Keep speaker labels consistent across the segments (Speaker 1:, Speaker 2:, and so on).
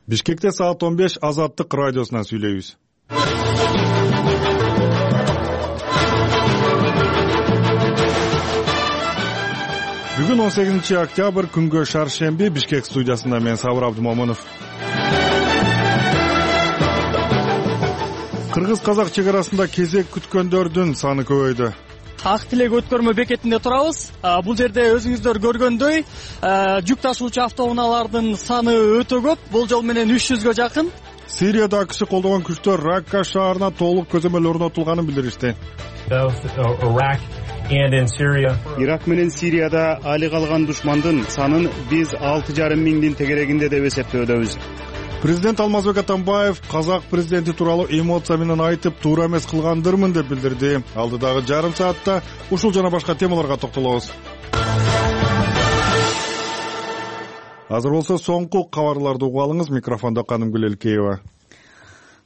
Speaker 1: Бишкекте саат 15 Азаттык радиосунан сүйлөйбүз. Бүгүн 18 октябрь күнгө шаршемби. Бишкек студиясында мен Сабыр Абдымомунов. Кыргыз-казак чек арасында кезек күткөндөрдүн саны көбөйдү.
Speaker 2: Ак тилек өткөрмө бекетинде турабыз. Бул жерде өзүңүздөр көргөндөй жүк ташуучу автоунаалардын саны өтө көп, болжол менен 300гө жакын.
Speaker 1: Сирияда АКШ колдогон күчтөр Ракка шаарына толук көзөмөл орнотулганын билдиришти.
Speaker 3: Ирак менен Сирияда али калган душмандын санын биз 6,5 миңдин тегерегинде деп эсептөөдөбүз.
Speaker 1: Президент Алмазбек Атамбаев казак президенти тууралуу эмоция менен айтып, туура эмес кылгандырмын деп билдирди. Алдыдагы жарым саатта ушул жана башка темаларга токтолобуз. Азыр болсо соңку кабарларды угуп алыңыз. Микрофондо Канымгүл Элкеева.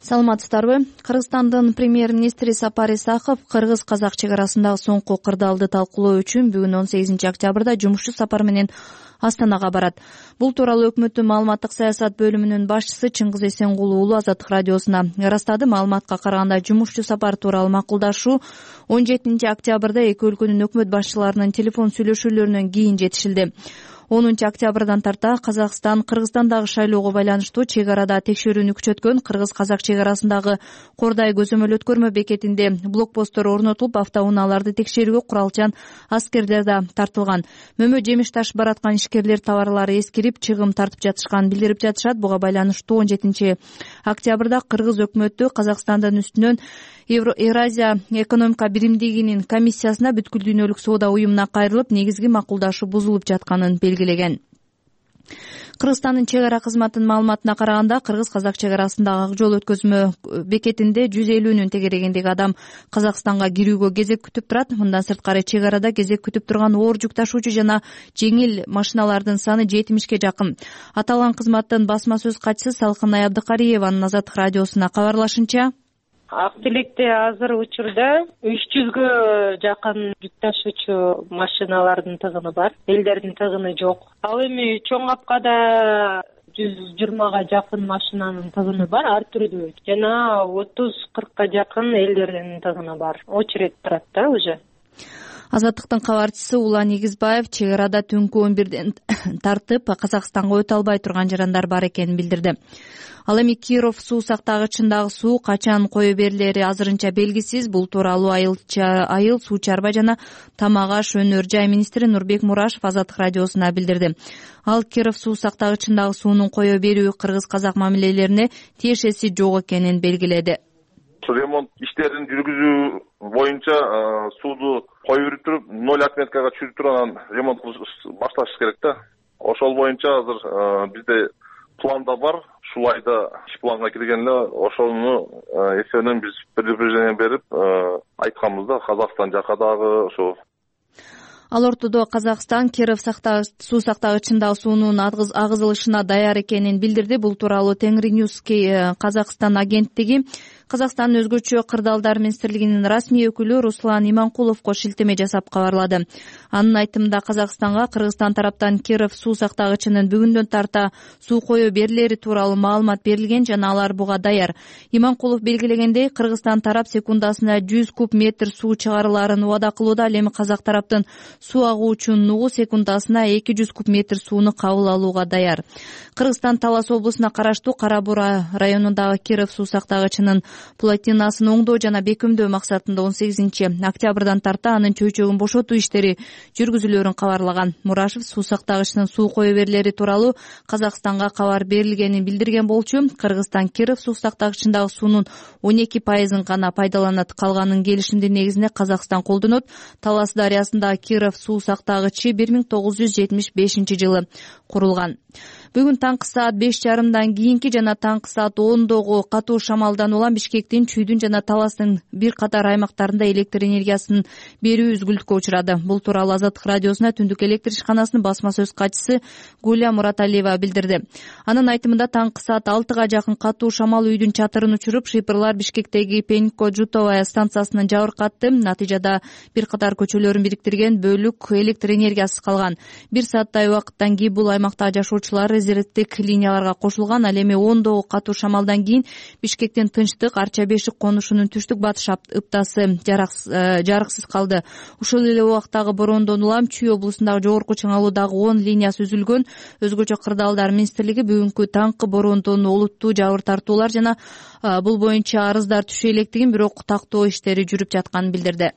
Speaker 4: Саламатсыздарбы? Кыргызстандын премьер-министри Сапар Исаков кыргыз-казак чек арасындагы соңку кырдаалды талкуулоо үчүн бүгүн 18 октябрда жумушчу сапар менен Астанага барат. Бул тууралуу өкмөттүн маалыматтык саясат бөлүмүнүн башчысы Чыңгыз Эсенгул уулу Азаттык радиосуна ырастады. Маалыматка караганда жумушчу сапар тууралуу макулдашуу 17 октябрда эки өлкөнүн өкмөт башчыларынын телефон сүйлөшүүлөрүнөн кийин жетишилди. 10 октябрдан тарта Казакстан Кыргызстандагы шайлоого байланыштуу чек арада текшерүүнү күчөткөн. Кыргыз-казак чек арасындагы Кордай көзөмөл өткөрмө бекетинде блокпосттор орнотулуп, автоунааларды текшерүүгө куралчан аскерлер да тартылган. Мөмө жемиш ташып бараткан ишкерлер товарлары эскирип, чыгым тартып жатышканын билдирип жатышат. Буга байланыштуу 17 октябрда Кыргыз өкмөтү Казакстандын үстүнөн Евразия экономика биримдигинин комиссиясына бүткүл дүйнөлүк соода уюмуна кайрылып, негизги макулдашуу бузулуп жатканын белгилеген. Кыргызстандын чек ара кызматынын маалыматына караганда, кыргыз-казак чек арасындагы ак жол өткөзмө бекетинде 150 тегерегиндеги адам Казакстанга кирүүгө кезек күтүп турат. Мындан сырткары чек арада кезек күтүп турган оор жүк ташуучу жана жеңил машиналардын саны 70ке жакын. Аталган кызматтын басма сөз катчысы Салкынай Абдыкариеванын Азаттык радиосуна кабарлашынча,
Speaker 5: Ак тилекте азыр учурда 300гө жакын жүк ташуучу машиналардын тыгыны бар, элдердин тыгыны жок. Ал эми чоң апкада 120га жакын машинанын тыгыны бар, ар түрдүү. Жана 30-40ка жакын элдердин тыгыны бар. Очередь турат да уже.
Speaker 4: Азаттыктын кабарчысы Улан Эгизбаев чек арада түнкү 11ден тартып Казакстанга өтө албай турган жарандар бар экенин билдирди. Ал эми Киров суу сактагычындагы суу качан кое берилери азырынча белгисиз. Бул тууралуу айыл суу чарба жана тамак аш өнөр жай министри Нурбек Мурашев Азаттык радиосуна билдирди. Ал Киров суу сактагычындагы суунун кое берүү кыргыз-казак мамилелерине тиешеси жок экенин белгиледи.
Speaker 6: Ремонт иштерин жүргүзүү боюнча сууду кое берип туруп 0 отметкага түшүрүп туруп анан ремонт башташ керек да. Ошол боюнча азыр бизде планда бар. Ушул айда иш планга кирген эле, ошону эсебинен биз предупреждение берип айтканбыз да, Казакстан жака дагы ошо.
Speaker 4: Ал ортодо Казакстан Киров суу сактагычындагы суунун агызылышына даяр экенин билдирди. Бул тууралуу Тенгриньюз Казакстан агенттиги Казакстандын өзгөчө кырдаалдар министрлигинин расмий өкүлү Руслан Иманкуловго шилтеме жасап кабарлады. Анын айтымында Казакстанга Кыргызстан тараптан Киров суу сактагычынын бүгүндөн тарта суу кое берилери тууралуу маалымат берилген жана алар буга даяр. Иманкулов белгилегендей, Кыргызстан тарап секундасына 100 куб метр суу чыгарыларын убада кылууда. Ал эми казак тараптын суу агуучу нугу секундасына 200 куб метр сууну кабыл алууга даяр. Кыргызстан Талас облусуна караштуу Кара Бура районундагы Киров суу сактагычынын плотинасын оңдоо жана бекемдөө максатында 18 октябрдан тарта анын чөйчөгүн бошотуу иштери жүргүзүлөрүн кабарлаган. Мурашев суу сактагычынын суу кое берилери тууралуу Казакстанга кабар берилгенин билдирген болчу. Кыргызстан Киров суу сактагычындагы суунун 12% гана пайдаланат, калганын келишимдин негизинде Казакстан колдонот. Талас дарыясындагы Киров суу сактагычы 1975 жылы курулган. Бүгүн таңкы саат 5:30 кийинки жана таңкы саат 10догу катуу шамалдан улам Бишкектин, Чүйдүн жана Таластын бир катар аймактарында электр энергиясын берүү үзгүлтүккө учурады. Бул тууралуу Азаттык радиосуна Түндүк электр ишканасынын басма сөз катчысы Гуля Мураталиева билдирди. Анын айтымында таңкы саат 6га жакын катуу шамал үйдүн чатырын учуруп, шыйпырлар Бишкектеги Пенько-Жутовая станциясынан жабыркатты. Натыйжада бир катар көчөлөрүн бириктирген бөлүк электр энергиясыз калган. 1 сааттай убакыттан кийин бул аймакта жашоочулар резервдик линияларга кошулган. Ал эми ондогу катуу шамалдан кийин Бишкектин Тынчтык Арча Бешик конушунун түштүк батыш ыптасы жарыксыз калды. Ушул эле убактагы бороондон улам Чүй облусундагы жогорку чыңалуудагы 10 линиясы үзүлгөн. Өзгөчө Кырдаалдар министрлиги бүгүнкү таңкы бороондон олуттуу жабыр тартуулар жана бул боюнча арыздар түшө электигин, бирок тактоо иштери жүрүп жатканын билдирди.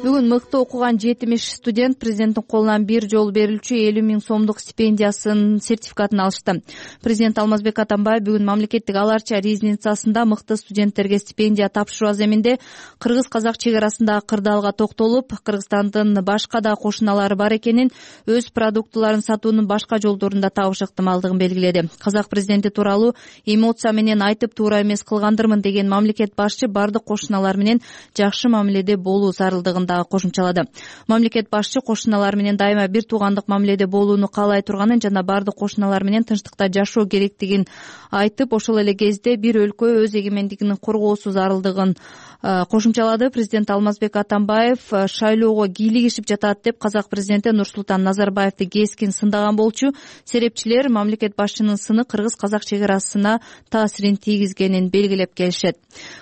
Speaker 4: Бүгүн мыкты окуган 70 студент президенттин колунан бир жолу берилчү 50 000 сомдук стипендиясынын сертификатын алышты. Президент Алмазбек Атамбаев бүгүн мамлекеттик ала арча резиденциясында мыкты студенттерге стипендия тапшыруу аземинде кыргыз-казак чек арасындагы кырдаалга токтолуп, Кыргызстандын башка да кошуналары бар экенин, өз продуктыларын сатуунун башка жолдорун да табыш ыктымалдыгын белгиледи. Казак президенти тууралуу эмоция менен айтып туура эмес кылгандырмын деген мамлекет башчы бардык кошуналар менен жакшы мамиледе болуу зарылдыгын кошумчалады. Мамлекет башчы кошуналар менен дайыма бир туугандык мамиледе болууну каалай турганын жана бардык кошуналар менен тынчтыкта жашоо керектигин айтып, ошол эле кезде бир өлкө өз эгемендигин коргоосу зарылдыгын кошумчалады. Президент Алмазбек Атамбаев шайлоого кийлигишип жатат деп казак президенти Нурсултан Назарбаевди кескин сындаган болчу. Серепчилер мамлекет башчынын сыны кыргыз-казак чек арасына таасирин тийгизгенин белгилеп келишет.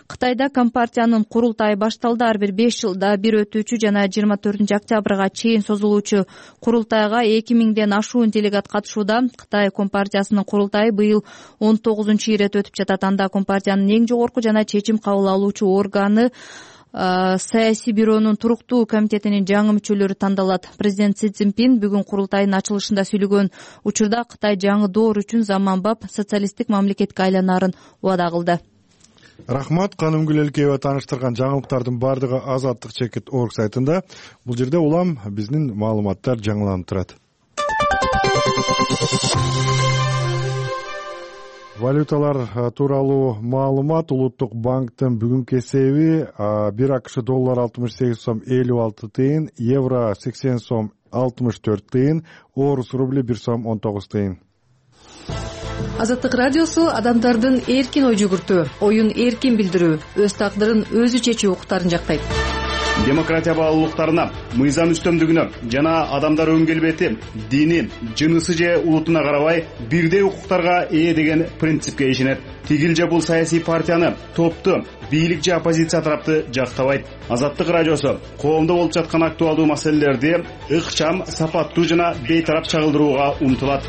Speaker 4: Кытайда компартиянын курултайы башталды. Ар бир 5 жылда бир өтүүчү жана 24 октябрга чейин созулуучу курултайга 2000ден ашуун делегат катышууда. Кытай компартиясынын курултайы быйыл 19-ирет өтүп жатат. Анда компартиянын эң жогорку жана чечим кабыл алуучу органы саясий бюронун туруктуу комитетинин жаңы мүчөлөрү тандалат. Президент Си Цзиньпин бүгүн курултайдын ачылышында сүйлөгөн учурда Кытай жаңы доор үчүн заманбап социалисттик мамлекетке айланаарын убада кылды.
Speaker 1: Рахмат. Канымгүл Элкеева тааныштырган жаңылыктардын бардыгы Азаттык чекит орг сайтында. Бул жерде улам биздин маалыматтар жаңыланып турат. Валюталар тууралуу маалымат. Улуттук банктын бүгүнкү эсеби 1 АКШ доллар 68 сом 56 тыйын, евро 80 сом 64 тыйын, орус рубли 1 сом 19 тыйын.
Speaker 7: Азаттык радиосу адамдардын эркин ой жүгүртүү, оюн эркин билдирүү, өз тагдырын өзү чечүү укуктарын жактайт.
Speaker 3: Демократия баалуулуктарына, мыйзам үстөмдүгүнө жана адамдар өн келбети, дини, жынысы же улутуна карабай бирдей укуктарга ээ деген принципке ишенет. Тигил же бул саясий партияны, топту, бийлик же оппозиция тарапты жактабайт. Азаттык радиосу коомдо болуп жаткан актуалдуу маселелерди ыкчам, сапаттуу жана бейтарап чагылдырууга умтулат.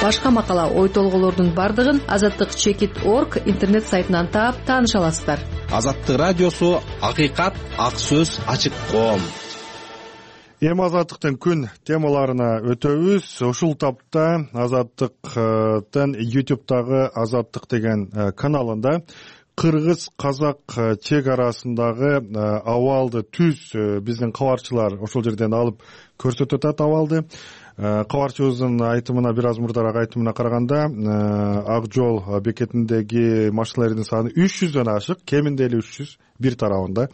Speaker 7: Башка макала, ой толголордун бардыгын Азаттык чекит орг интернет сайтынан таап тааныша аласыздар.
Speaker 8: Азаттык радиосу акыйкат, ак сөз, ачык коом.
Speaker 1: Эми Азаттыктын күн темаларына өтөбүз. Ушул тапта Азаттыктын YouTube'дагы Азаттык деген каналында кыргыз-казак чек арасындагы абалды түз биздин кабарчылар ошол жерден алып көрсөтүп атат абалды. Кабарчыбыздын айтымына, бир аз мурдараак айтымына караганда, Ак жол бекетиндеги машиналардын саны 300дөн ашык, кеминде эле 300 бир тарабында.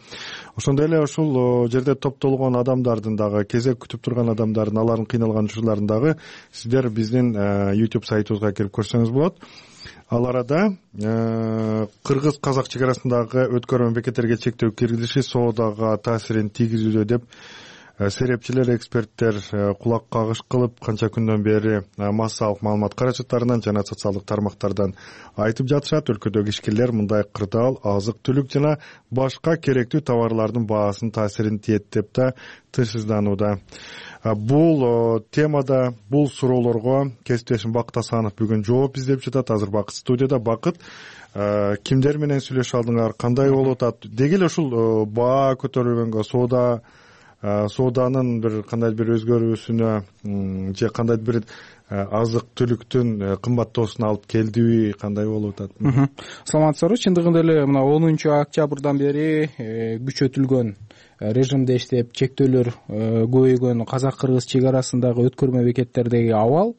Speaker 1: Ошондой эле ушул жерде топтолгон адамдардын дагы, кезек күтүп турган адамдардын, алардын кыйналган учурларын дагы сиздер биздин YouTube сайтыбызга кирип көрсөңүз болот. Ал арада кыргыз-казак чек арасындагы өткөрмө бекеттерге чектөө киргизиши соодага таасирин тийгизүүдө деп серепчилер, эксперттер кулак кагыш кылып канча күндөн бери массалык маалымат каражаттарынан жана социалдык тармактардан айтып жатышат. Өлкөдөгү ишкерлер мындай кырдаал, азык-түлүк жана башка керектүү товарлардын баасынын таасирин тиет деп да тынчсызданууда. Бул темада, бул суроолорго кесиптешим Бакыт Асанов бүгүн жооп издеп жатат. Азыр Бакыт студияда. Бакыт, кимдер менен сүйлөшө алдыңар, кандай болуп атат? Деги эле ушул баа көтөрүлгөнгө, сооданын бир кандай бир өзгөрүүсүнө же кандай бир азык-түлүктүн кымбаттоосуна алып келдиби, кандай болуп атат?
Speaker 9: Саламатсыздарбы. Чындыгында эле мына 10-октябрдан бери күчөтүлгөн режимде иштеп чектөөлөр көбөйгөн казак-кыргыз чек арасындагы өткөрмө бекеттердеги абал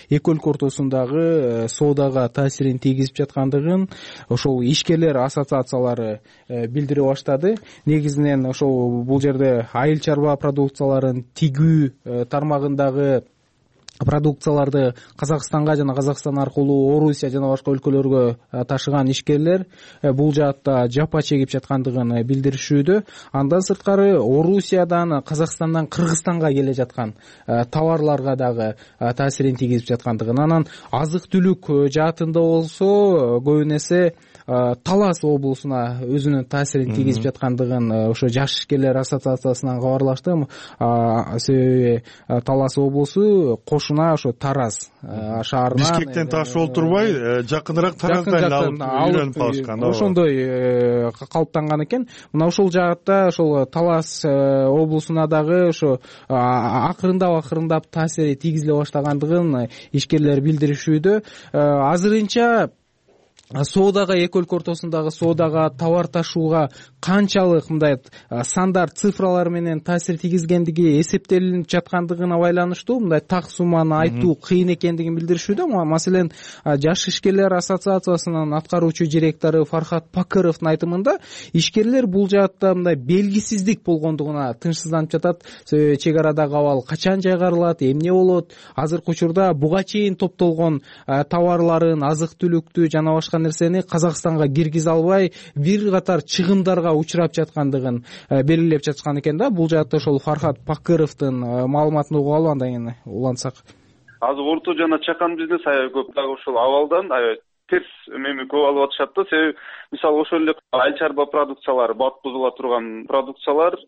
Speaker 9: эки өлкө ортосундагы соодага таасирин тийгизип жаткандыгын ошол ишкерлер ассоциациялары билдире баштады. Негизинен ошол бул жерде айыл чарба продукцияларын тигүү тармагындагы продукцияларды Казакстанга жана Казакстан аркылуу Орусия жана башка өлкөлөргө ташыган ишкерлер бул жаатта жапа чегип жаткандыгын билдиришүүдө. Андан сырткары Орусиядан, Казакстандан Кыргызстанга келе жаткан товарларга дагы таасирин тийгизип жаткандыгын. Анан азык-түлүк жаатында болсо көбүн эсе Талас облусуна өзүнүн таасирин тийгизип жаткандыгын ошо жаш ишкерлер ассоциациясынан кабарлаштым. Себеби Талас облусу кошуна ошо Тараз шаарынан
Speaker 1: Бишкектен ташып олтурбай жакыныраак Тараздан алып калышкан.
Speaker 9: Ошондой калыптанган экен. Мына ошол жаатта ошол Талас облусуна дагы ошо акырындап таасири тийгизиле баштагандыгын ишкерлер билдиришүүдө. Азырынча соодага, эки өлкө ортосундагы соодага, товар ташууга канчалык мындай сандар, цифралар менен таасир тийгизгендиги эсептелинип жаткандыгына байланыштуу мындай так сумманы айтуу кыйын экендигин билдиришүүдө. Маселен, жаш ишкерлер ассоциациясынын аткаруучу директору Фархат Пакыровдун айтымында ишкерлер бул жаатта мындай белгисиздик болгондугуна тынчсызданып жатат. Чек арадагы абал качан жайгарылат, эмне болот? Азыркы учурда буга чейин топтолгон товарларын, азык-түлүктү жана башка нерсени Казакстанга киргизе албай бир катар чыгымдарга учурап жаткандыгын белгилеп жаткан экен да. Бул жаатта ошол Фархат Пакыровдун маалыматын угуп алып андан кийин улантсак.
Speaker 10: Азыр орто жана чакан бизнес аябай көп дагы ошол абалдан аябай терс эми көп алып атышат да. Себеби мисалы ошол эле айыл чарба продукциялары, баткызыла турган продукциялар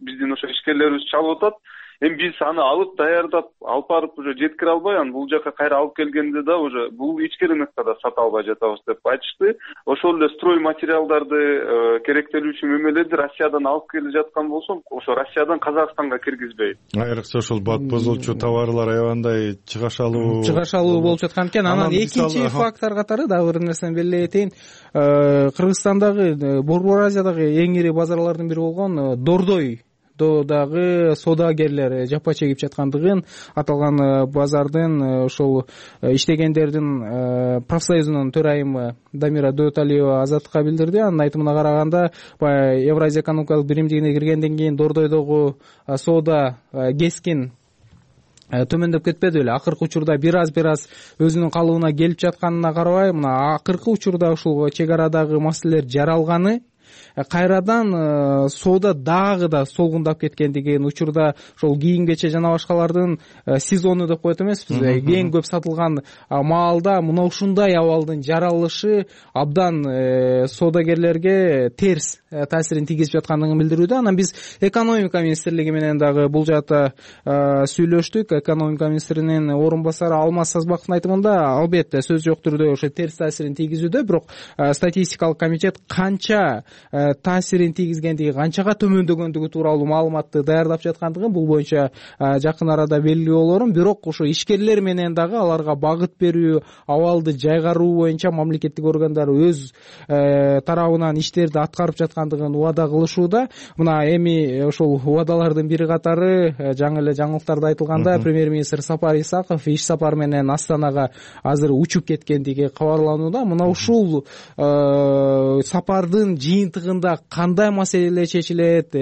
Speaker 10: биздин ошо ишкерлерибиз чалып атат. Эми биз аны алып даярдап, алып барып уже жеткире албай, анан бул жака кайра алып келгенде да уже бул ички рынокто да сата албай жатабыз деп айтышты. Ошол эле строй материалдарды, керектелүүчү мемелерди Россиядан алып келе жаткан болсом, ошо Россиядан Казакстанга киргизбей.
Speaker 1: Айрыкча ошол бат бузулчу товарлар аябандай чыгашалуу
Speaker 9: болуп жаткан экен. Анан экинчи фактор катары дагы бир нерсени белгилей кетейин. Кыргызстандагы, Борбор Азиядагы эң ири базарлардын бири болгон Дордой дагы соодагерлер жапа чегип жаткандыгын, аталган базардын ошол иштегендердин профсоюзунун төрайымы Дамира Дөталиева Азаттыкка билдирди. Анын айтымына караганда, Евразия экономикалык биримдигине киргенден кийин Дордойдогу соода кескин төмөндөп кетпеди эле. Акыркы учурда бир аз өзүнүн калыбына келип жатканына карабай, мына акыркы учурда ушул чек арадагы маселелер жаралганы кайрадан соода дагы да солгундап кеткендигин, учурда ошол кийим-кече жана башкалардын сезону деп коет эмеспиз. Эң көп сатылган маалда мына ушундай абалдын жаралышы абдан соодагерлерге терс таасирин тийгизип жаткандыгын билдирүүдө. Анан биз экономика министрлиги менен дагы бул жаатта сүйлөштүк. Экономика министринин орун басары Алмаз Сазбаковдун айтымында, албетте сөз жок түрдө ошо терс таасирин тийгизүүдө, бирок статистикалык комитет канча таасирин тийгизгендиги, канчага төмөндөгөндүгү тууралуу маалыматты даярдап жаткандыгын бул боюнча жакын арада белгилүү болорун. Бирок ошо ишкерлер менен дагы аларга багыт берүү, абалды жайгаруу боюнча мамлекеттик органдар өз тарабынан иштерди аткарып жаткандыгын убада кылышууда. Мына эми ошол убадалардын бири катары жаңы эле жаңылыктарда айтылганда, премьер-министр Сапар Исаков иш сапар менен Астанага азыр учуп кеткендиги кабарланууда. Мына ушул сапардын жыйынтыгында кандай маселелер чечилет,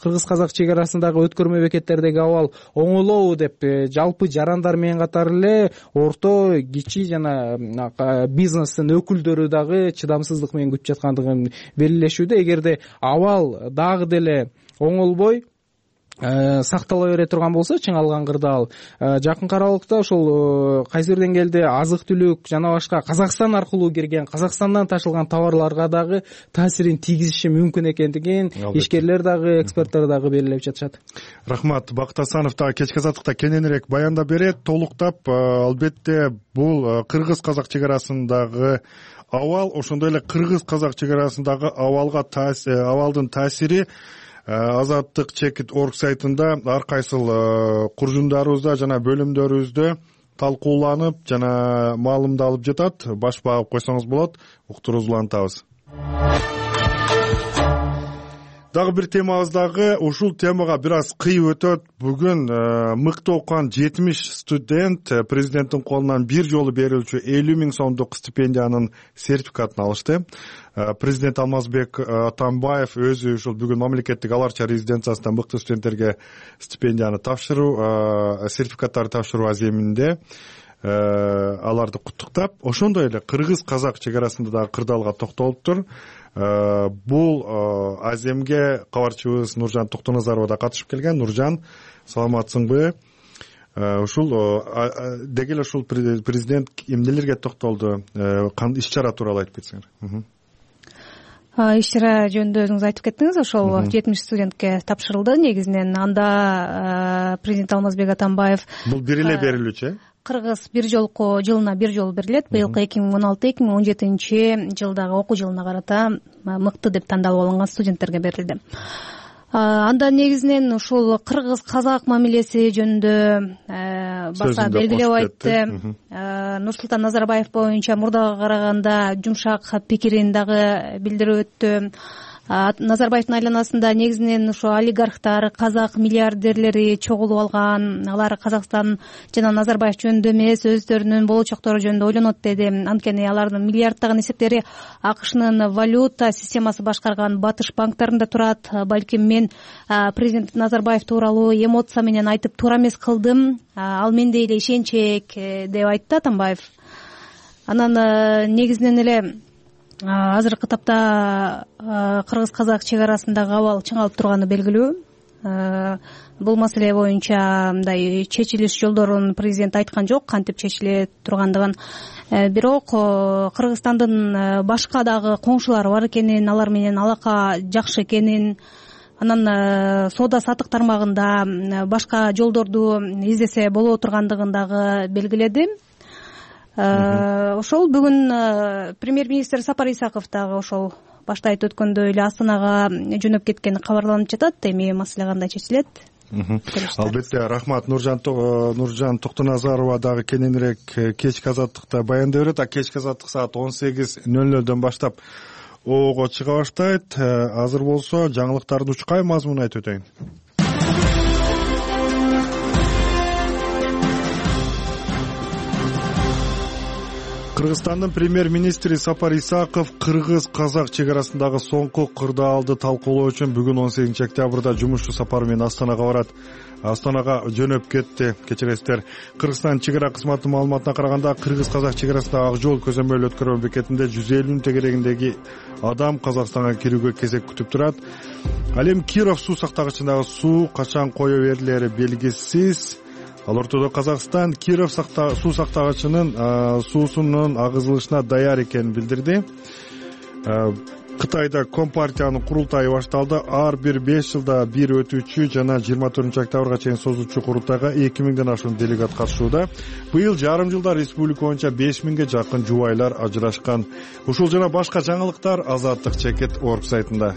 Speaker 9: кыргыз-казак чек арасындагы өткөрмө бекеттердеги абал оңолобу деп жалпы жарандар менен катар эле орто, кичи жана бизнестин өкүлдөрү дагы чыдамсыздык менен күтүп жаткандыгын белгилешүүдө. Эгерде абал дагы деле оңолбой сактала бере турган болсо, чыңалган кырдаал, жакынкы аралыкта ошол кайсы бир деңгээлде азык-түлүк жана башка Казакстан аркылуу кирген, Казакстандан ташылган товарларга дагы таасирин тийгизиши мүмкүн экендигин ишкерлер дагы, эксперттер дагы белгилеп жатышат.
Speaker 1: Рахмат. Бакыт Асанов дагы кечки азаттыкта кененирээк баяндап берет. Толуктап, албетте бул кыргыз-казак чек арасындагы абал, ошондой эле кыргыз-казак чек арасындагы абалдын таасири Азаттык чекит.org сайтында ар кайсыл куржундарыбызда жана бөлүмдөрүбүздө талкууланып жана маалымдалып жатат. Баш багып койсоңуз болот. Уктуруубузду улантабыз. Дагы бир темабыз дагы ушул темага бир аз кыйып өтөт. Бүгүн мыкты окуган 70 студент президенттин колунан бир жолу берилчү 50 000 сомдук стипендиянын сертификатын алышты. Президент Алмазбек Атамбаев өзү ушул бүгүн мамлекеттик ала арча резиденциясында мыкты студенттерге стипендияны тапшыруу, сертификаттарды тапшыруу аземинде аларды куттуктап, ошондой эле кыргыз-казак чек арасында дагы кырдаалга токтолуптур. Бул аземге кабарчыбыз Нуржан Токтоназарова да катышып келген. Нуржан, саламатсыңбы? Ушул деги эле ушул президент эмнелерге токтолду? Иш чара тууралуу айтып кетсеңер.
Speaker 11: Иш чара жөнүндө өзүңүз айтып кеттиңиз. Ошол 70 студентке тапшырылды. Негизинен анда президент Алмазбек Атамбаев
Speaker 1: бул бир эле берилүүчү.
Speaker 11: Кыргыз жылына бир жолу берилет. Быйылкы 2016-2017 жылдагы окуу жылына карата мыкты деп тандалып алынган студенттерге берилди. Анда негизинен ушул кыргыз-казак мамилеси жөнүндө баса белгилеп айтты. Нурсултан Назарбаев боюнча мурдага караганда жумшак пикирин дагы билдирип өттү. Назарбаевдин айланасында негизинен ушу олигархтар, казак миллиардерлери чогулуп алган. Алар Казакстан жана Назарбаев жөнүндө эмес, өздөрүнүн болочоктору жөнүндө ойлонот деди. Анткени алардын миллиарддаган эсептери АКШнын валюта системасы башкарган батыш банктарында турат. Балким мен президент Назарбаев тууралуу эмоция менен айтып туура эмес кылдым. Ал мендей эле ишенчек деп айтты Атамбаев. Анан негизинен эле азыркы тапта кыргыз-казак чек арасындагы абал чыңалып турганы белгилүү. Бул маселе боюнча мындай чечилиш жолдорун президент айткан жок, кантип чечиле тургандыгын. Бирок Кыргызстандын башка дагы коңшулары бар экенин, алар менен алака жакшы экенин, анан соода сатык тармагында башка жолдорду издесе боло тургандыгын дагы белгиледи. Ошол бүгүн премьер-министр Сапар Исаков дагы ошол башта айтып өткөндөй эле Астанага жөнөп кеткени кабарланып жатат. Эми маселе кандай чечилет?
Speaker 1: Албетте, рахмат. Нуржан Токтоназарова дагы кененирээк кечки азаттыкта баяндап берет. Кечки азаттык саат 18:00 баштап ого чыга баштайт. Азыр болсо жаңылыктардын учкай мазмунун айтып өтөйүн. Кыргызстандын премьер-министри Сапар Исаков кыргыз-казак чек арасындагы соңку кырдаалды талкуулоо үчүн бүгүн 18 октябрда жумушчу сапары менен Астанага барат. Астанага жөнөп кетти. Кечиресиздер. Кыргызстан чек ара кызматынын маалыматына караганда кыргыз-казак чек арасындагы ак жол көзөмөл өткөрмө бекетинде 150 тегерегиндеги адам Казакстанга кирүүгө кезек күтүп турат. Ал эми Киров суу сактагычындагы суу качан кое берилери белгисиз. Ал ортодо Казакстан Киров суу сактагычынын суусунун агызылышына даяр экенин билдирди. Кытайда Компартиянын курултайы башталды. Ар бир 5 жылда бир өтүүчү жана 24 октябрга чейин созулчу курултайга 2000ден ашуун делегат катышууда. Быйыл жарым жылда республика боюнча 5000ге жакын жубайлар ажырашкан. Ушул жана башка жаңылыктар Азаттык.org сайтында.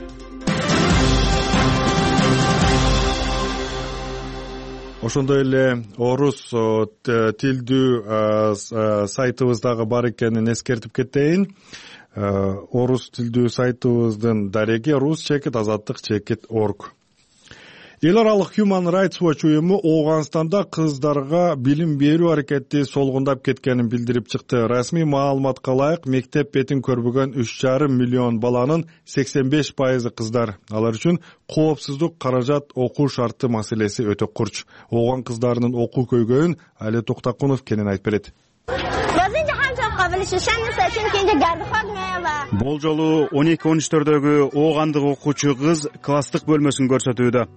Speaker 1: Ошондой эле орус тилдүү сайтыбыздагы бар экенин эскертип кетейин. Орус тилдүү сайтыбыздын дареги rus.azattik.org. Эл аралык Human Rights Watch уюму Ооганстанда кыздарга билим берүү аракети солгундап кеткенин билдирип чыкты. Расмий маалыматка ылайык, мектеп бетин көрбөгөн 3,5 миллион баланын 85% кыздар. Алар үчүн коопсуздук, каражат, окуу шарты маселеси өтө курч. Ооган кыздарынын окуу көйгөйүн Али Токтакунов кенен айтып берет.
Speaker 3: Бул жолу 12-13-төрдөгү оогандык окуучу кыз класстык бөлмөсүн көрсөтүүдө.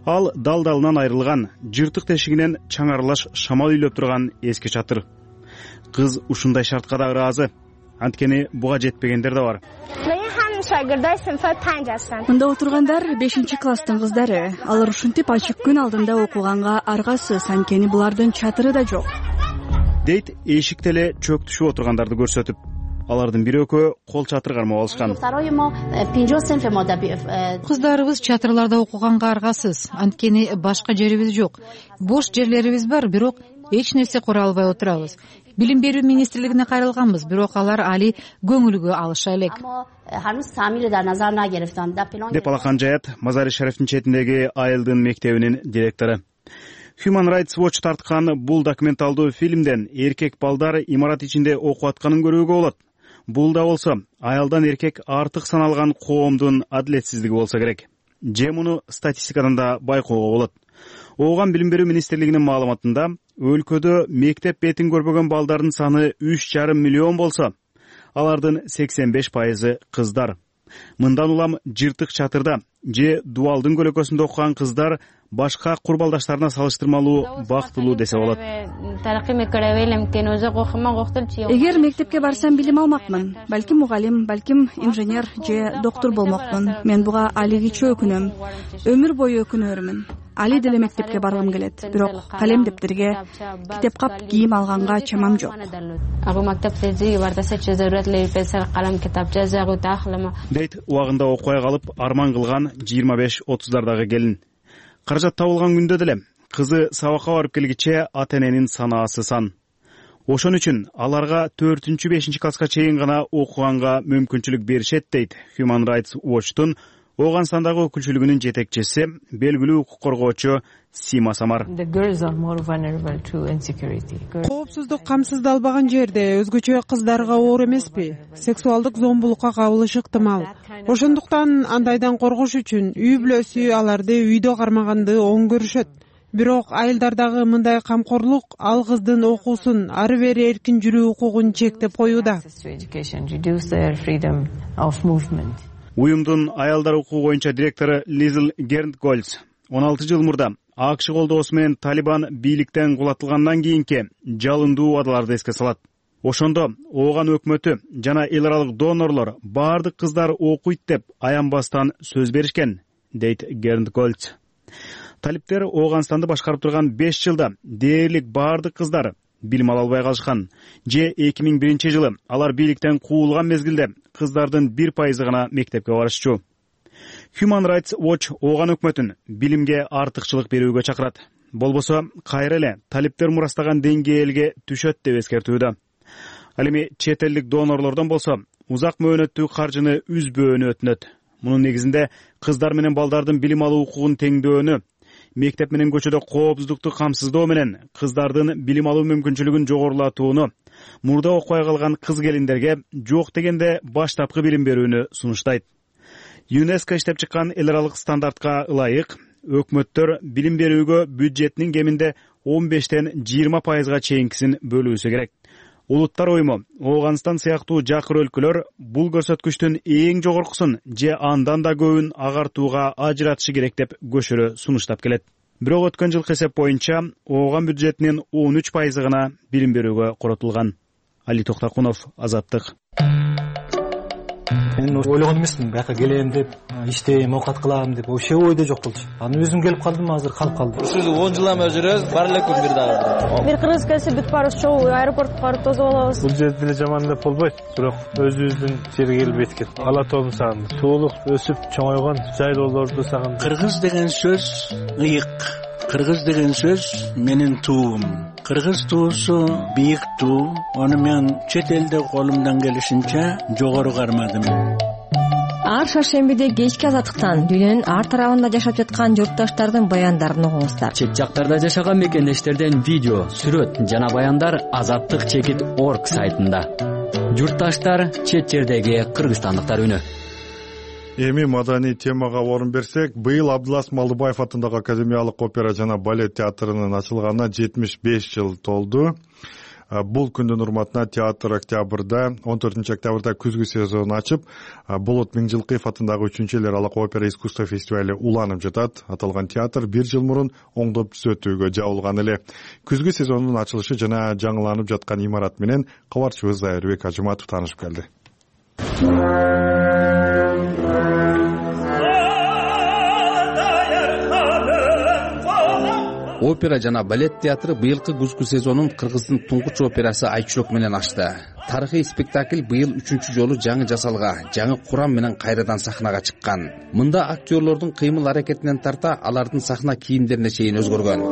Speaker 3: Ал дал-далынан айрылган, жыртык тешигинен чаңарлаш шамал үйлөп турган эски чатыр. Кыз ушундай шартка да ыраазы. Анткени буга жетпегендер да бар.
Speaker 12: Мында отургандар 5-класстын кыздары. Алар ушинтип ачык күн алдында окуганга аргасыз, анткени булардын чатыры да жок.
Speaker 3: Дейт эшикте эле чөк түшүп отургандарды көрсөтүп. Алардын бир экөө кол чатыр кармап алышкан.
Speaker 13: Кыздарыбыз чатырларда окуганга аргасыз, анткени башка жерибиз жок. Бош жерлерибиз бар, бирок эч нерсе кура албай отурабыз. Билим берүү министрлигине кайрылганбыз, бирок алар али көңүлгө алыша элек.
Speaker 3: Деп алакан Жаят Мазари Шарифтин четиндеги Айылдын мектебинин директору. Human Rights Watch тарткан бул документалдуу фильмден эркек балдар имарат ичинде окуп атканын көрүүгө болот. Бул да болсо аялдан эркек артык саналган коомдун адилетсиздиги болсо керек. Же муну статистикадан да байкоого болот. Ооган билим берүү министрлигинин маалыматында өлкөдө мектеп бетин көрбөгөн балдардын саны 3,5 миллион болсо, алардын 85% кыздар. Мындан улам жыртык чатырда же дуалдын көлөкөсүндө окуган кыздар башка курбалдаштарына салыштырмалуу бактылуу десе болот.
Speaker 12: Эгер мектепке барсам билим алмакмын, балким мугалим, балким инженер же доктор болмокмун. Мен буга алигиче өкүнөм. Өмүр бою өкүнөрмүн. Али деле мектепке баргым келет, бирок калем дептерге, китеп кап кийим алганга чамам жок.
Speaker 3: Дейт убагында окуй калып арман кылган 25-30дагы келин. Каражат табылган күндө деле кызы сабакка барып келгиче ата-эненин санаасы сан. Ошон үчүн аларга 4-5 класска чейин гана окуганга мүмкүнчүлүк беришет дейт Human Rights Watch'тун Ооганстандагы өкүлчүлүгүнүн жетекчиси, белгилүү укук коргоочу Сима Самар.
Speaker 14: Коопсуздук камсыздалбаган жерде өзгөчө кыздарга оор эмеспи? Сексуалдык зомбулукка кабылышы ыктымал. Ошондуктан андайдан коргош үчүн үй бүлөсү аларды үйдө кармаганды оң көрүшөт. Бирок айылдардагы мындай камкорлук ал кыздын окуусун, ары бери эркин жүрүү укугун чектеп коюуда.
Speaker 3: Уюмдун аялдар укугу боюнча директору Лизл Гернтгольц 16 жыл мурда АКШ колдоосу менен Талибан бийликтен кулатылгандан кийинки жалындуу убадаларды эске салат. Ошондо ооган өкмөтү жана эл аралык донорлор бардык кыздар окуйт деп аянбастан сөз беришкен, дейт Гернтгольц. Талиптер Ооганстанды башкарып турган 5 жылда дээрлик бардык кыздар билим ала албай калышкан. Же 2001 жылы алар бийликтен куулган мезгилде кыздардын 1% гана мектепке барышчу. Human Rights Watch ооган өкмөтүн билимге артыкчылык берүүгө чакырат. Болбосо кайра эле талиптер мурастаган деңгээлге түшөт деп эскертүүдө. Ал эми чет элдик донорлордон болсо узак мөөнөттүү каржыны үзбөөнү өтүнөт. Мунун негизинде кыздар менен балдардын билим алуу укугун теңдөөнү, мектеп менен көчөдө коопсуздукту камсыздоо менен кыздардын билим алуу мүмкүнчүлүгүн жогорулатууну, мурда окубай калган кыз келиндерге жок дегенде баштапкы билим берүүнү сунуштайт. ЮНЕСКО иштеп чыккан эл аралык стандартка ылайык өкмөттөр билим берүүгө бюджетинин кеминде 15-20% чейинкисин бөлүүсү керек. Улуттар уюму Ооганстан сыяктуу жакыр өлкөлөр бул көрсөткүчтүн эң жогоркусун же андан да көбүн агартууга ажыратышы керек деп көшөрө сунуштап келет. Бирок өткөн жылкы эсеп боюнча Ооган бюджетинин 13% гана билим берүүгө коротулган. Али Токтакунов, Азаттык.
Speaker 15: Мен ойлогон эмесмин, бияка келем деп, иштейм, окат кылам деп, вообще ойдо жок болчу. Аны өзүм келип калдым, азыр калып калдым.
Speaker 16: Сиз 10 жыл эме жүрөбүз, бар эле күн бир дагы.
Speaker 17: Бир кыргыз келсе бүт барыбыз чогуу аэропортко барып тосуп алабыз.
Speaker 18: Бул жерде деле жаман деп болбойт, бирок өзүбүздүн жерге келип эткет. Ала тоолун сагындым. Суулук өсүп чоңойгон жайлоолорду сагындым.
Speaker 19: Кыргыз деген сөз ыйык. Кыргыз деген сөз менин туум. Кыргыз туусу бийик туу. Аны мен чет элде колумдан келишинче жогору кармадым.
Speaker 20: Ар шаршембиде кечки Азаттыктан дүйнөнүн ар тарабында жашап жаткан журтташтардын баяндарын угуңуздар.
Speaker 21: Чет жактарда жашаган мекендештерден видео, сүрөт жана баяндар azattik.org сайтында. Журтташтар чет жердеги кыргызстандыктар үнү.
Speaker 1: Эми маданий темага орун берсек, быйыл Абдылас Малдыбаев атындагы Академиялык опера жана балет театрынын ачылганына 75 жыл толду. Бул күндүн урматына театр октябрда, 14 октябрда күзгү сезонун ачып, Болот Миңжилкыев атындагы 3-эл эл аралык опера искусство фестивали уланып жатат. Аталган театр 1 жыл мурун оңдоп түзөтүүгө жабылган эле. Күзгү сезонунун ачылышы жана жаңыланып жаткан имарат менен кабарчыбыз Айырбек Ажыматов таанышып келди.
Speaker 8: Опера жана балет театры быйылкы күзгү сезонун кыргыздын туңгуч операсы Айчурок менен ачты. Тарыхый спектакль быйыл 3-чү жолу жаңы жасалга, жаңы курам менен кайрадан сахнага чыккан. Мында актерлордун кыймыл аракетинен тарта алардын сахна кийимдерине чейин өзгөргөн.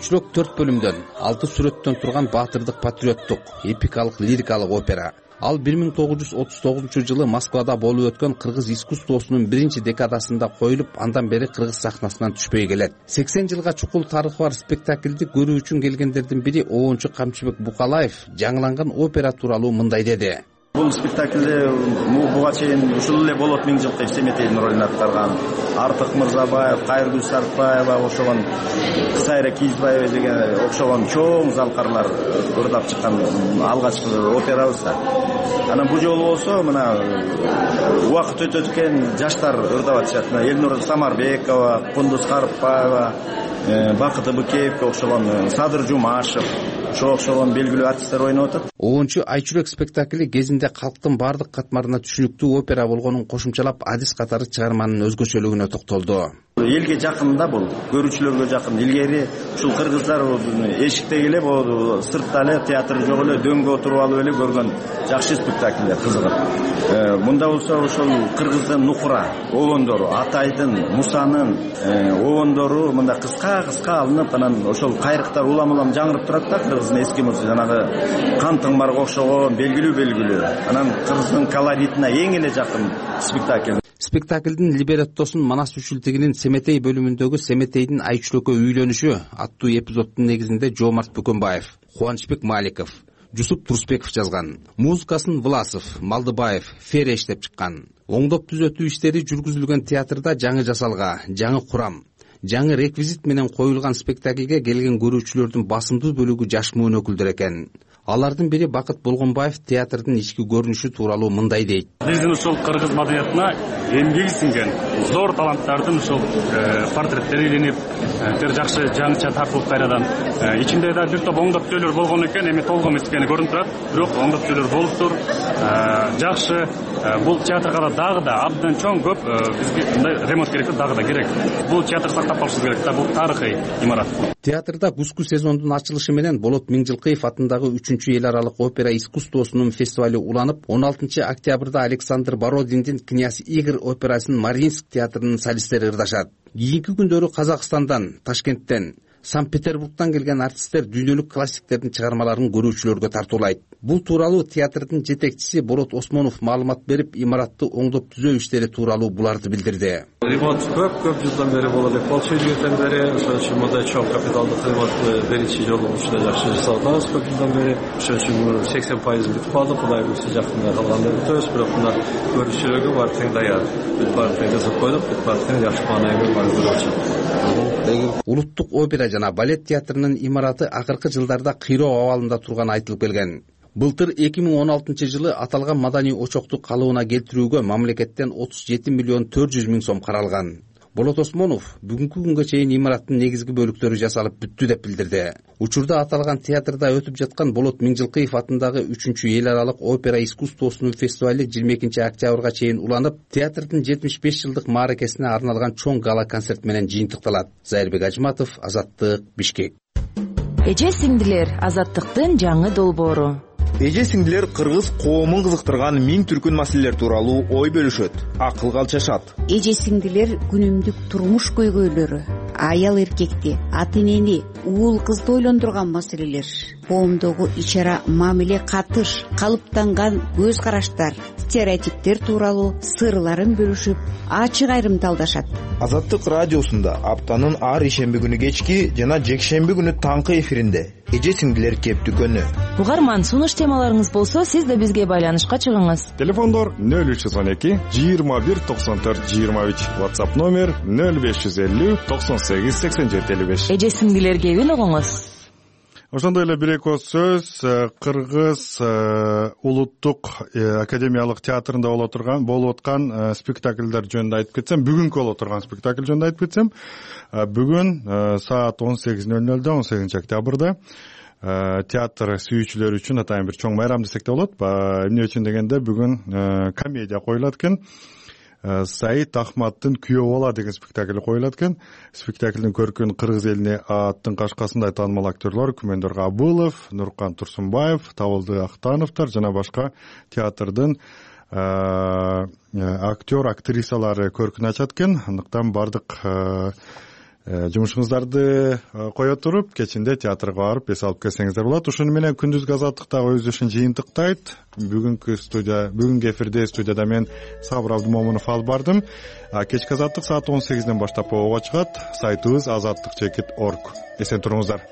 Speaker 8: айчүрөк 4 бөлүмдөн 6 сүрөттөн турган баатырдык патриоттук эпикалык лирикалык опера. Ал 1939 Москвада болуп өткөн кыргыз искусствосунун биринчи декадасында коюлуп, андан бери кыргыз сахнасынан түшпөй келет. 80 жылга чукул тарыхы бар спектакльди көрүү үчүн келгендердин бири Оончу Камчыбек Букалаев жаңыланган опера тууралуу мындай деди.
Speaker 2: Бул спектакльде буга чейин ушул эле Болот Миңжилкыев Семетейдин ролун аткарган Артык Мырзабаев, Кайыргүл Сартбаева ошогон Кызайра Кийизбаева деген окшогон чоң залкарлар ырдап чыккан алгачкы операбыз да. Анан бул жолу болсо мына убакыт өтөт экен жаштар ырдап атышат. Элнур Самарбекова, Кундуз Карыпбаева, Бакыт Ыбыкеевге окшогон Садыр Жумашев, ошого окшогон белгилүү артисттер ойноп атат.
Speaker 8: Оончу айчүрөк спектакли кезинде калктын баардык катмарына түшүнүктүү опера болгонун кошумчалап, адис катары чыгарманын өзгөчөлүгүнө токтолду.
Speaker 2: Элге жакын да бул, көрүүчүлөргө жакын. Илгери ушул кыргыздар эшикте эле болду, сыртта эле театр жок эле дөңгө отуруп алып эле көргөн жакшы спектакльдер кызыгат. Мында болсо ошол кыргыздын нукура обондору, Атайдын, Мусанын обондору мында кыска алынып, анан ошол кайрыктар улам жаңырып турат да. Кыргыздын эски музыка жанагы Кан Тыңмарга окшогон белгилүү. Анан кыргыздын колоритине эң эле жакын спектакль.
Speaker 8: Спектаклдин либреттосун Манас Үчүлтигинин Семетей бөлүмүндөгү Семетейдин айчүрөккө үйлөнүшү аттуу эпизоддун негизинде Жомарт Бөкөнбаев, Кубанычбек Маликов, Жусуп Турсбеков жазган. Музыкасын Власов, Малдыбаев, Фере иштеп чыккан. Оңдоп түзөтүү иштери жүргүзүлгөн театрда жаңы жасалга, жаңы курам, жаңы реквизит менен коюлган спектаклге келген көрүүчүлөрдүн басымдуу бөлүгү жаш муун өкүлдөр экен. Алардын бири Бакыт Болгонбаев театрдын ички көрүнүшү тууралуу мындай дейт.
Speaker 22: Биздин ушул кыргыз маданиятына эмгеги сиңген зор таланттардын ушул портреттери илинип, тер жакшы жаңыча тартылып кайрадан. Ичинде да бир топ оңдоптөөлөр болгон экен, эми толук эмес экени көрүнүп турат. Бирок оңдоптөөлөр болуптур. Жакшы. Бул театрга дагы да абдан чоң көп бизге мындай ремонт керек, дагы да керек. Бул театр сактап калышы керек да, бул тарыхый имарат.
Speaker 8: Театрда кузгу сезондун ачылышы менен Болот Миңжилкыев атындагы 3-эл аралык опера искусствосунун фестивали уланып, 16 октябрда Александр Бородиндин Князь Игорь операсын Мариинск театрынын солисттери ырдашат. Кийинки күндөрү Казакстандан, Ташкенттен, Санкт-Петербургдан келген артисттер дүйнөлүк классиктердин чыгармаларын көрүүчүлөргө тартуулайт. Бул тууралуу театрдын жетекчиси Борот Осмонов маалымат берип, имаратты оңдоп түзөө иштери тууралуу буларды билдирди.
Speaker 23: Ремонт көп жылдан бери болот. Полчу жылдан бери ошол үчүн мындай чоң капиталдык ремонт биринчи жолу ушундай жакшы жасалган. Көп жылдан бери ошол үчүн 80% бүтүп калды. Кудай буйрса жакында калганда бүтөбүз, бирок мына көрүүчүлөргө баары тең даяр. Бүт баары тең жасап койдук, бүт баары тең жакшы маанайга бар болчу.
Speaker 8: Улуттук опера жана балет театрынын имараты акыркы жылдарда кыйроо абалында турганы айтылып келген. Былтыр 2016 жылы аталган маданий очокту калыбына келтирүүгө мамлекеттен 37 миллион 400 миң сом каралган. Болот Осмонов бүгүнкү күнгө чейин имараттын негизги бөлүктөрү жасалып бүттү деп билдирди. Учурда аталган театрда өтүп жаткан Болот Миңжилкыев атындагы 3-эл аралык опера искусствосунун фестивали 22 октябрга чейин уланып, театрдын 75 жылдык мааракесине арналган чоң гала концерт менен жыйынтыкталат. Зайырбек Ажматов, Азаттык, Бишкек.
Speaker 24: Эже сиңдилер, Азаттыктын жаңы долбоору.
Speaker 25: Эже сиңдилер кыргыз коомун кызыктырган миң түркүн маселелер тууралуу ой бөлүшөт, акылга алчашат.
Speaker 26: Эже сиңдилер күнүмдүк турмуш көйгөйлөрү, аял эркекти, ата энени, уул кызды ойлондурган маселелер, коомдогу ичара мамиле катыш, калыптанган көз караштар, стереотиптер тууралуу сырларын бөлүшүп, ачык айрымталдашат.
Speaker 25: Азаттык радиосунда аптанын ар ишемби күнү кечки жана жекшемби күнү таңкы эфиринде эже сиңдилер кептүкөнү.
Speaker 24: Угарман, сунуш темаларыңыз болсо, сиз да бизге байланышка чыгыңыз.
Speaker 1: Телефондор 0312 21 94 23, WhatsApp номер 0550 98 87 55.
Speaker 24: Эже сиңдилер кебин угуңуз.
Speaker 1: Ошондой эле бир эки сөз Кыргыз улуттук академиялык театрында болуп аткан спектакльдер жөнүндө айтып кетсем, бүгүнкү болуп турган спектакль жөнүндө айтып кетсем, бүгүн саат 18:00 18 октябрда театр сүйүүчүлөр үчүн атайын бир чоң майрам десек да болот. Эмне үчүн дегенде бүгүн комедия коюлат экен. Саид Ахматтын Күйөө бала деген спектакль коюлат экен. Спектаклдин көркүн кыргыз элине аттын кашкасындай таанымал актерлор Күмөндөр Абылов, Нуркан Турсунбаев, Табылды Актановдор жана башка театрдын актер, актрисалары көркүн ачат экен. Андыктан бардык жумушуңуздарды кое туруп кечинде театрга барып эс алып келсеңиздер болот. Ушуну менен күндүзгү азаттыктагы өз ишин жыйынтыктайт. Бүгүнкү эфирде студияда мен Сабыр Абдымомунов алып бардым. Кечки азаттык саат 18ден баштап ого чыгат. Сайтыбыз azattik.org. Эсен туруңуздар.